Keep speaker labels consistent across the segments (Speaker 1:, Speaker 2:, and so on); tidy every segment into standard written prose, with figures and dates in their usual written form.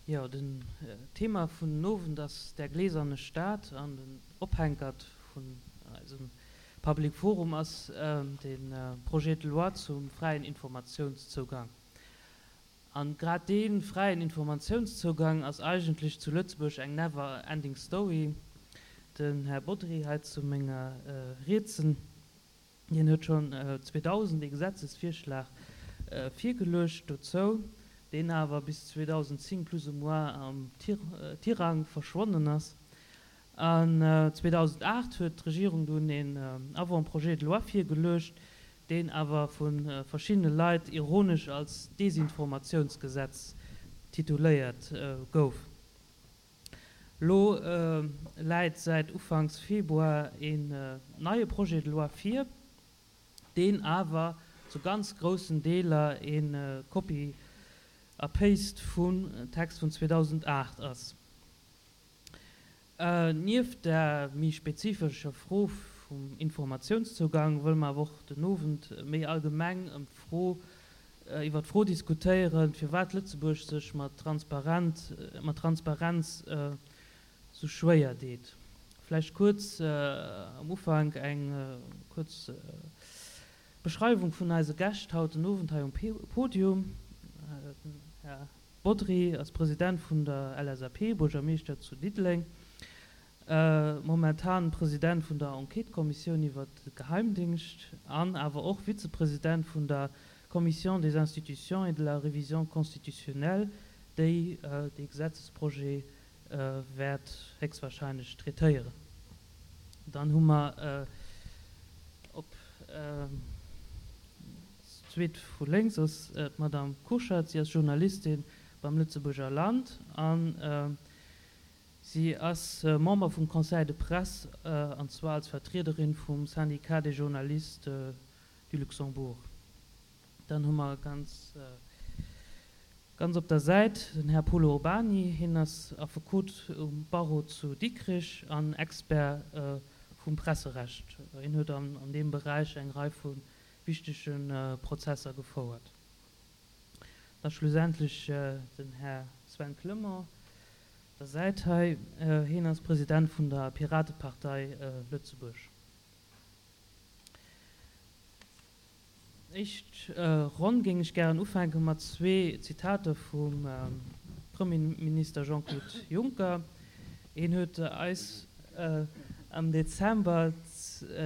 Speaker 1: Jo, den Thema vun den Owend ass Der gläserne Staat an den Ophänkert vun eisem Public Forum ass de Projet de loi zum fräien Informatiounszougang. An grad dee fräien Informatiounszougang ass eigentlech zu Lëtzebuerg eng never ending story. Den Här Bodry hei zu menger Rietsen, Hien huet schonn 2000 ee Gesetzesvirschlag virgeluecht dozou, deen awer bis 2010 plus ou moins am Tirang verschwonnen ass. An 2008 huet d'Regierung dunn een Avant-projet de loi virgeluecht, deen awer vu verschiddene Leit ironesch als Desinformatiounsgesetz tituléiert gouf. Elo läit säit ufanks Februar een neie Projet de loi vir, deen awer zu ganz groussen Deeler ee Copy a Paste vum Text vun 2008 ass. Nieft der méi spezifescher Fro vum Informatiounszougang wëlle mer awer och den Owend méi allgemeng ëm d'Fro iwwer d'Fro diskutéieren, firwat Lëtzebuerg sech mat Transparent, mat Transparenz sou schwéier deet. Vläicht kuerz am Ufank eng kuerz Beschreiwung vun eise Gäscht haut den Owend hei um Podium. Den Här Bodry ass President vun der LSAP, Buergermeeschter zu Diddeleng. Momentan President vun der Enquêtëkommissioun iwwer de Geheimdingscht an awer och Vizepresident vun der Commission des institutions et de la révision constitutionnelle, déi dee Gesetzesprojet wäert héchstwahrscheinlech traitéieren. Dann hu mer op zweet vu lénks ass d'Madame Kurschat. Si ass Journalistin beim Lëtzebuerger Land an Si ass Member vum Conseil de presse, an zwar als Vertriederin vum Syndicat des journalistes du Luxembourg. Dann hu mer ganz, ganz op der Säit den Här Polo Urbany. Hien ass Affekot um Barreau zu Dikrich an Expert vum Presserecht. Hien huet an deem Beräich eng Rei vu wichtege Prozesser gefouert. Da schlussendlech den Här Sven Clement, der Säit hei. Hien ass President vun der Piratepartei Lëtzebuerg. Éischt Ronn géing ech gären ufänke mat zwee Zitater vum Premierminister Jean-Claude Juncker. Hien huet eis am Dezember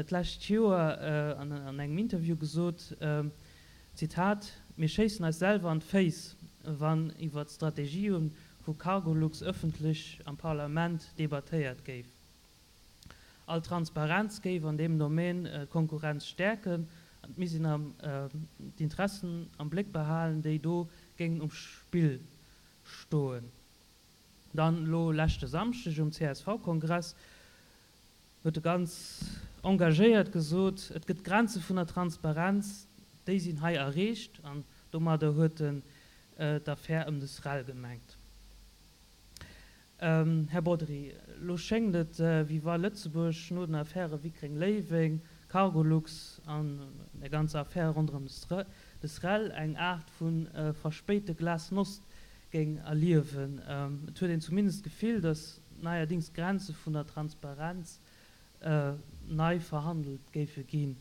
Speaker 1: d'lescht Joer an engem Interview gesot, Zitat, Mir schéissen eis selwer an d'Féiss, wann iwwer d'Strategië vu Cargolux ëffentlech am Parlament debattéiert géif. All Transparenz géif an deem Domaine d'Konkurrenz stäerken an et misst een d'Interessen am Bléck behalen, déi do géingen um Spill stoen. Dann elo leschte Samschdeg um CSV-Kongress huet e ganz engagéiert gesot, et gëtt Grenze vun der Transparenz, déi sinn hei erreecht. An domadder huet en d'Affär ëm de SREL gemengt. Här Bodry, elo schéngt et, wéi wa Lëtzebuerg no den Affäre Wickreng-Léiweng, Cargolux an der ganzer Affär ronderëm de SREL eng Aart vu verspéite Glasnost géing erliewen. Et huet een zumindest d'Gefill, datt neierdings d'Grenze vun der Transparenz nei verhandelt géife ginn.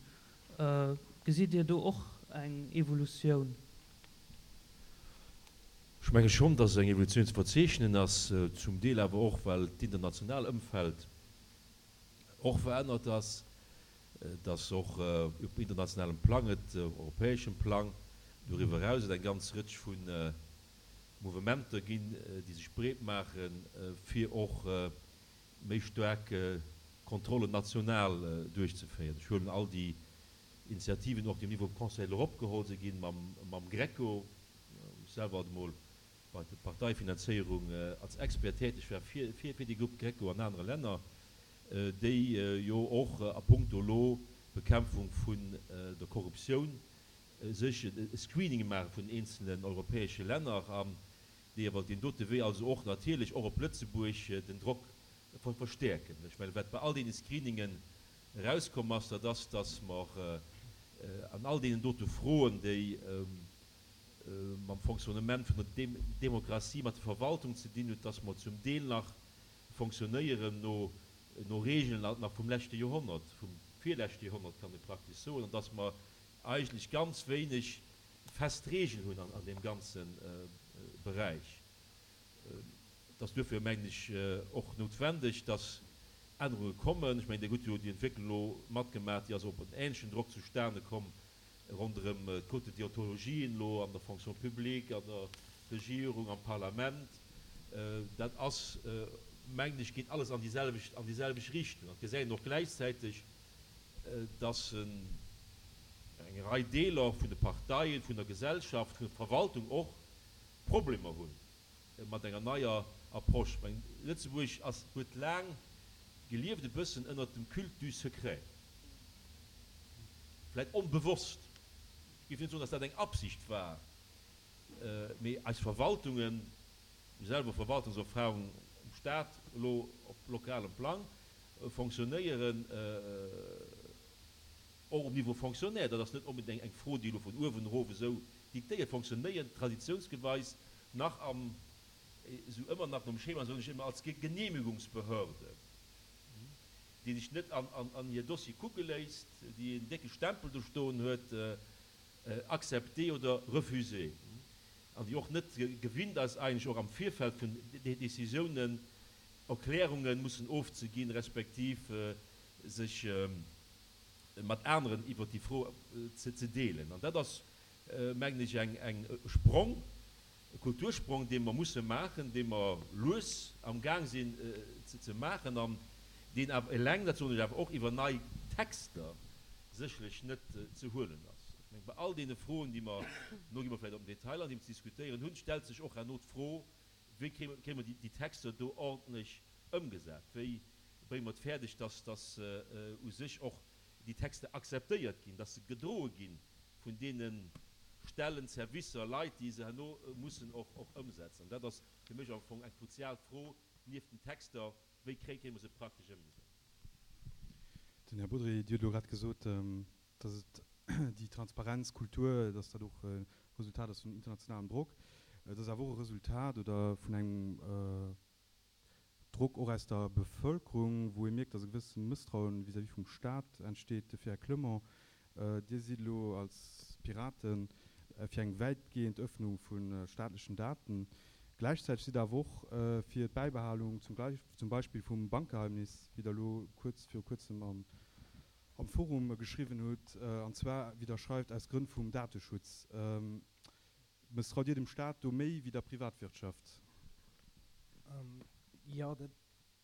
Speaker 1: Gesitt Dir do och eng Evolutioun?
Speaker 2: Ech menge schonn, dass eng Evolutioun ze verzeechnen ass, zum Deel awer och, well d'international Ëmfeld och verännert ass, dass och op internationalem Plang et, europäeschem Plang, doriwwer eraus et eng ganz Rëtsch vu Mouvementer ginn, déi sech breet maachen, fir och méi staark Kontrollen national duerchzeféieren. Ech huelen all déi Initiativen och, déi um Niveau vum Conseil de l'Europe geholl si ginn, mam GRECO, wou ech selwer alt emol bei der Parteifinanzéierung als Expert täteg war fir déi Grupp GRECO an anere Länner, déi jo och a puncto elo Bekämpfung vun der Korruptioun sech e Screening maache vun den eenzelen europäesche Länner an déi iwwer deen dote Wee also och natierlech och op Lëtzebuerg den Drock verstäerken. Ech mengen, wat bei all deene Screeningen erauskomm ass, dat ass, dass mer an all deenen dote Froen, déi. mam Fonctionnement vun der Demokratie, mat der Verwaltung ze dinn huet, dass mer zum Deel nach fonctionnéieren no no Regeln nach vum leschte Joerhonnert, vum virleschte Joerhonnert kann ee praktesch soen, an dass mer eigentlech ganz wéineg fest Regeln hunn an deem ganze Beräich. Et ass duerfir, mengen ech, och noutwendeg, dass Ännerunge kommen. Ech mengen, Dir hutt jo déi Entwécklung elo matgemaach, déi ass op en ähnlechen Drock zustane komm ronderëm d'Code de déontologie elo an der Fonction publique, an der Regierung, am Parlament. Dat ass, mengen ech, geet alles an déi selwecht, an déi selwecht Richtung. An et gesäit een och gläichzäiteg, dass eng Rei Deeler vun de Parteien, vun der Gesellschaft, vun der Verwaltung och Problemer hu mat enger neier Approche. Ech mengen, Lëtzebuerg ass, huet laang gelieft e bëssen ënnert dem Culte du secret, vläicht onbewosst, ech géif net soen, dass dat eng Absicht war, mee eis Verwaltungen, hu selwer Verwaltungserfahrung um Staat, elo op lokalem Plang, fonctionnéieren och um Niveau Fonctionnaire, dat ass net onbedéngt eng Fro, déi elo vun uewen erof esou diktéiert, fonctionnéieren traditionsgeweis nach am, esou ëmmer nach nom Schema, soen ech ëmmer, als Genehmigungsbehörde, déi sech net an hir Dossier kucke léisst, déi en décke Stempel do stoen huet, accepté oder refusé, an déi och net gewinnt ass eigentlech och am Virfeld vun Décisiounen Erklärunge mussen ofzeginn, respektiv sech mat aneren iwwert déi Fro ze deelen. An dat ass, mengen ech, eng Sprong, e Kultursprong, dee mer musse maachen, dee mer lues am Gaang sinn ze maachen an deen awer eleng, dat soen ech awer och, iwwer nei Texter sécherlech net ze huelen ass. Ech mengen, bei all deene Froen, déi mer, no gi mer vläicht op den Detail an, déi mer ze diskutéieren hunn, stellt sech och herno d'Fro, Wéi kréie mer déi Texter do ordentlech ëmgesat? Wéi brénge mer et fäerdeg, dass dass u sech och déi Texter akzeptéiert ginn, dass se gedroe gi vun deene Stellen, Servicer, Leit, déi se herno mussen och och ëmsetzen? An dat ass fir mech am Fong eng kruzial Fro nieft den Texter, Wéi kréie mer se praktesch ëmgesat?
Speaker 3: Den Här Bodry, Dir hutt elo grad gesot, dass et déi Transparenzkultur, dass dat och e Resultat ass vun internationalem Drock. Et ass awer och e Resultat oder vun engem Drock och aus der Bevölkerung, wou ee mierkt, dass e gewësse Mësstrauen vis-à-vis vum Stat entsteet. Dofir, Här Clement, Dir sidd elo als Piraten fir eng wäitgehend Öffnung vu staatlechen Daten. Gläichzäiteg sidd Der awer och fir d'Bäibehalung zum Beispill vum Bankgeheimnis, wéi Der elo kuerz viru kuerzem am am Forum geschriwwen hutt, an zwar, wéi Der schreift, aus Grënn vum Dateschutz. Mësstraut Dir dem Staat do méi wéi der Privatwirtschaft?
Speaker 4: Jo, dat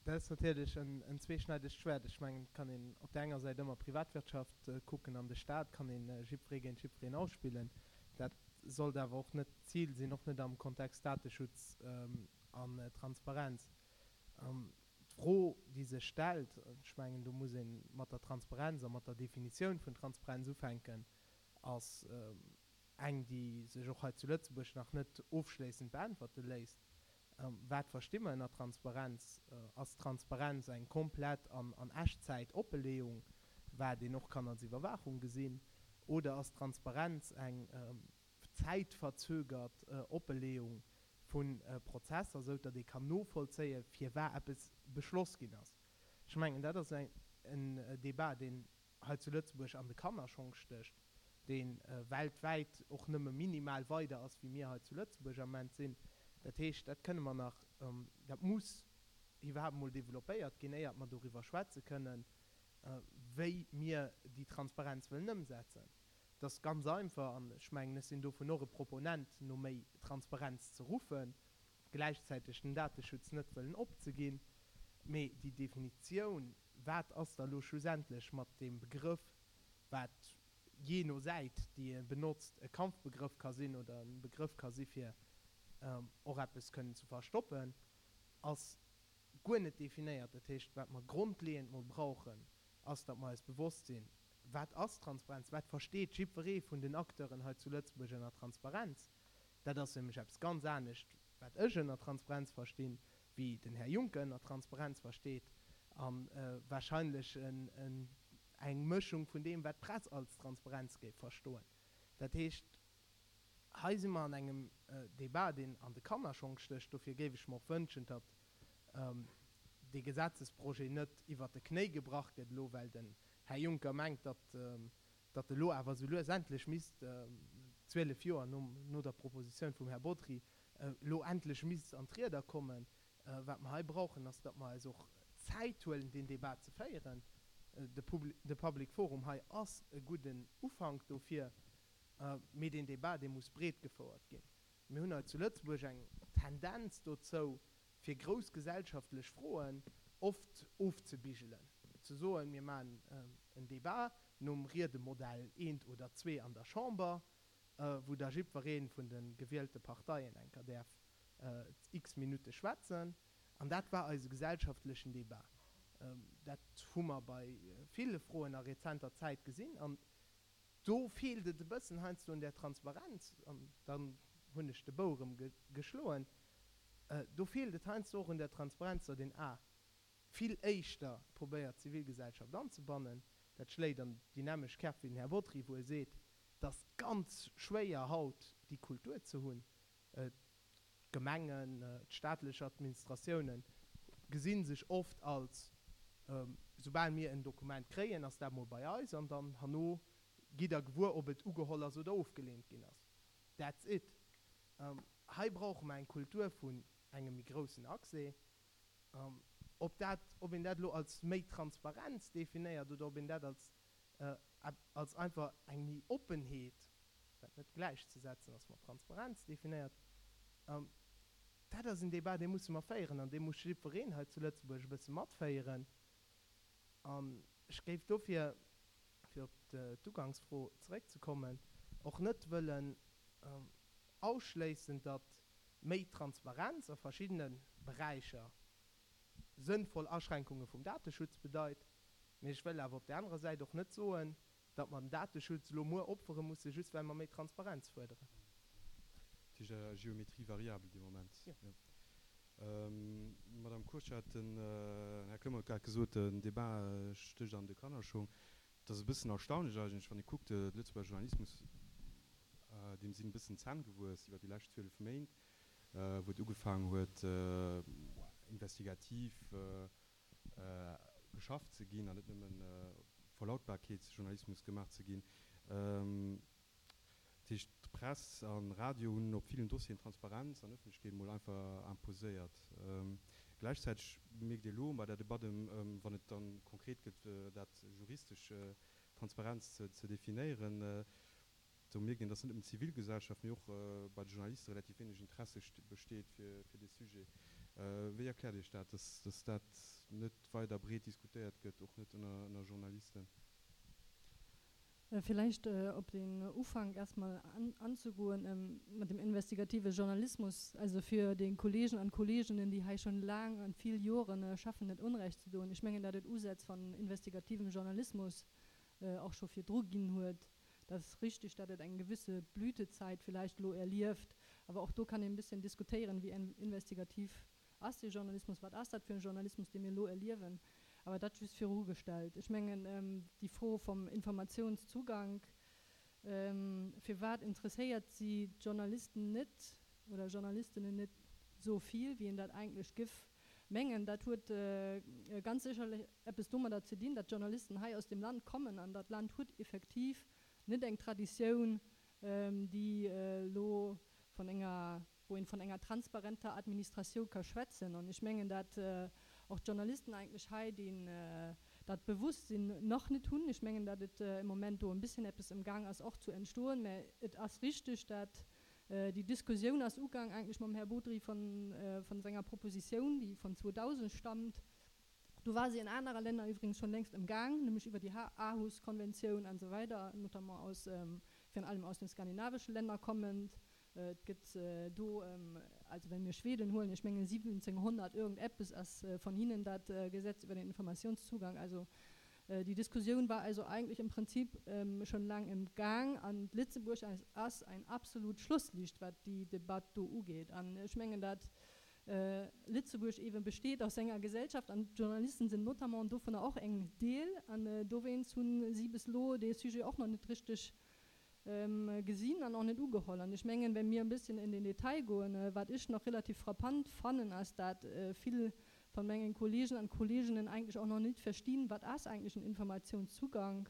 Speaker 4: ass natierlech en zweeschneidegt Schwert. Ech mengen, et kann een op där enger Säit ëmmer d'Privatwirtschaft kucken an de Staat kann ee jiddweree géint jiddwereen ausspillen. Dat sollt awer och net d'Zil sinn, och net am Kontext Dateschutz an Transparenz. D'Fro, déi sech stellt, ech mengen, do muss ee mat der Transparenz a mat der Definitioun vun Transparenz ufänken, ass eng, déi sech och hei zu Lëtzebuerg nach net ofschléissend beäntwerte léisst, Wat versti mer ënner Transparenz? Ass Transparenz eng komplett an an Echtzäit Oppeleeung, wat een och kann als Iwwerwaachung gesinn, oder ass Transparenz eng zäitverzögert Oppeleeung vu Prozesser, sou datt ee kann novollzéien, firwat eppes beschloss ginn ass. Ech mengen, dat ass en Débat, deen hei zu Lëtzebuerg an de Kannerschong stécht, dee weltwäit och nëmme minimal weider ass, wéi mir hei zu Lëtzebuerg am Ament sinn. Dat heescht, dat kënne mer nach, dat muss iwwerhaapt emol développéiert ginn, éiert mer doriwwer schwätze kënnen, wéi mir déi Transparenz wëllen ëmsetzen. Et ass ganz einfach, an ech mengen, ech sinn dovun och e Proponent, no méi Transparenz ze ruffen, gläichzäiteg den Dateschutz net wëllen opzeginn. Mee déi Definitioun, wat ass da elo schlussendlech mat deem Begrëff, wat jee no Säit, déi e benotzt, e Kampfbegrëff ka sinn oder e Begrëff ka si fir och eppes kënnen ze verstoppen, ass guer net definéiert. Dat heescht, wat mer grondleeënd mol brauchen, ass, datt mer eis bewosst sinn, Wat ass Transparenz? Wat versteet jiddweree vun den Acteuren hei zu Lëtzebuerg ënner Transparenz? Dat ass nämlech eppes ganz anescht, wat ech ënner Transparenz verstinn, wéi den Här Juncker ënner Transparenz versteet a wahrscheinlech eng Mëschung vun deem, wat d'Press als Transparenz géif verstoen. Dat heescht. Hei si mer an engem Débat, deen an de Kannerschong stécht. Dofir géif ech mer och wënschen, datt dee Gesetzesprojet net iwwert de Knéi gebrach gëtt elo, well den Här Juncker mengt, datt datt elo awer esou lues endlech misst, 12 Joer no der Propositioun vum Här Bodry, elo endlech misst an d'Rieder kommen. Wat mer hei brauchen, ass, datt mer eis och Zäit huelen, deen Débat ze féieren. De Public Forum hei ass e gudden Ufank dofir, mee deen Débat, dee muss breet gefouert ginn. Mir hunn hei zu Lëtzebuerg eng Tendenz dozou, fir grouss gesellschaftlech Froen oft ofzebigelen, ze soen, mir maachen en Débat nom Riedemodell eent oder zwee an der Chamber, wou da jiddweree vun de gewielte Parteien enker däerf x Minutte schwätzen. An dat war eise gesellschaftlechen Débat. Dat hu mer bei ville Froen a rezenter Zäit gesinn. An do feelt et e bëssen heiansdo un där Transparenz, an dann hunn ech de Bou erëm geschloen, do feelt et heiansdo och un der Transparenz, datt een a vill éischter probéiert d'Zivilgesellschaft anzebannen. Dat schléit an déi nämmlecht Kerf wéi den Här Bodry, wou e seet, et ass ganz schwéier haut déi Kultur ze hunn. D'Gemengen, d'staatlech Administratiounen gesi sech oft als, soubal mir en Dokument kréien, ass dat mol bei eis an dann herno gitt Der gewuer, ob et ugeholl ass oder ofgeleent ginn ass. That's it. Hei brauche mer eng Kultur vun engem méi groussen Accès. Ob dat, ob een dat elo als méi Transparenz definéiert oder ob een dat als als einfach eng méi Oppenheet, wat net gläichzesetzen ass mat Transparenz, definéiert, dat ass en Débat, dee musse mer féieren an dee muss jiddwereen hei zu Lëtzebuerg e bësse matféieren. An ech géif dofir, fir op d'Ugangsfro zeréckzekommen, och net wëllen ausschléissen, datt méi Transparenz a verschiddene Beräicher sënnvoll Aschränkunge vum Dateschutz bedeit. Mee ech wëll awer op där anerer Säit och net soen, datt mer den Dateschutz elo muer opfere musse just well mer méi Transparenz fuerderen.
Speaker 3: Dat heescht à géométrie variable dee Moment. Jo. Madame Kurschat, den Här Clement huet grad gesot, den Débat stécht an de Kannerschong. Et ass e bëssen erstaunlech eigentlech, wann ee kuckt, de Lëtzebuerger Journalismus, deem sinn e bëssen d'Zänn gewuess iwwer déi lescht 12 Méint, wou et ugefaangen huet investigativ geschafft ze ginn an net nëmmen Verlautbarkeetsjournalismus gemaach ze ginn. Dat heescht, d'Press an Radio hunn op villen Dossieren Transparenz an Ëffentlechkeet emol einfach imposéiert. Gläichzäiteg mierkt ee elo bei der Debatt ëm, wann et dann konkret gëtt, dat juristesch Transparenz ze definéieren, Do mierkt een, dass net nëmmen d'Zivilgesellschaft, mee och bei de Journaliste relativ wéineg Interesse besteet fir dee Sujet. Wéi erkläert Iech dat, dass dat net weider breet diskutéiert gëtt, och net ënner Journalisten?
Speaker 5: Villäicht op den Ufank erstmal anzegoen mat dem investigative Journalismus, also fir de Kollegen an Kolleginnen, déi hei schon laang an vill Joren schaffen, net Onrecht ze doen. Ech mengen, dat et Usätz van investigativem Journalismus och scho virdru ginn huet. Dat ass richtig, datt et eng gewisse Blütezeit vielleicht elo erlieft, awer och do kann een e bësschen diskutéieren, wéi investigativ ass dee Journalismus, wat ass dat fir e Journalismus, dee mir elo erliewen. Awer dat just virugestallt. Ech mengen, déi Fro vum Informatiounszugank, firwat interesséiert si d'Journalisten net oder Journalistinnen net esou vill, wéi een dat eigentlech giff mengen, dat huet ganz sécherlech eppes domadder ze dinn, datt d'Journalisten hei aus dem Land kommen an dat Land huet effektiv net eng Traditioun, déi elo vun enger, wou een vun enger transparenter Administratioun ka schwätzen. An ech mengen, dat och d'Journalisten eigentlech hei deen, dat Bewosstsinn nach net hunn. Ech mengen, datt et im Moment do e bësschen eppes emgaang ass och zu entstoen, mä et ass richtig, dat Déi Diskussioun ass ugaang eigentlech mam Här Bodry von, von senger Proposition, déi von 2000 stammt. Do war se in anerer Länner übrigens schon längst im Gang, nämlech iwwer déi Aarhus-Konventioun an esou weider, notamment aus, virun allem aus den skandinavesche Länner kommend. Et gëtt do, also well mir Schweden huelen, ech mengen 1700 irgendeppes ass von hinnen dat Gesetz über den Informationszugang, also Déi Diskussioun war also eigentlech im Prinzip schon laang im Gang an Lëtzebuerg ass ein absolut Schlusslicht wat déi Debatt do ugeet. An ech mengen dat Lëtzebuerg eben besteet aus enger Gesellschaft an d'Journalisten sinn notamment dovunner och eng Deel an dowéinst hunn si bis elo dee Sujet och nach net richteg. Gesinn an och net ugeholl. An ech mengen, wenn mir e bësschen in den Detail goen, wat ech nach relativ frappant fannen, ass, dat vill von mengen Kollegen an Kolleginnen eigentlech och nach nit verstinn, wat ass eigentlech en Informationszugang,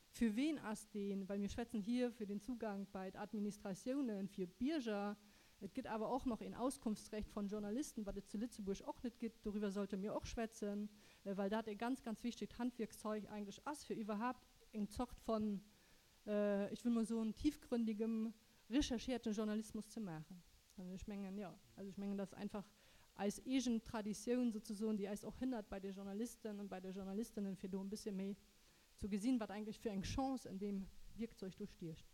Speaker 5: fir ween ass deen, well mir schwätzen hier fir den Zugang bei d'Administratiounen, fir d'Bierger. Et gëtt awer och nach een Auskunftsrecht von Journalisten, wat et zu Lëtzebuerg och net gëtt. Doriwwer sollte mir och schwätzen, well dat e ganz, ganz wichtegt Handwierkzeug eigentlech ass, fir iwwerhaapt eng Zort von ech wëll mol soen, tiefgründigem, recherchierten Journalismus ze maachen. An ech mengen, jo, also ech mengen, dass einfach eis eegen Traditioun souzesoen, déi eis och hënnert bei de Journalisten an bei de Journalistinnen, fir do e bëssche méi ze gesinn, wat eigentlech fir eng Chance en deem Wierkzeug do stiecht.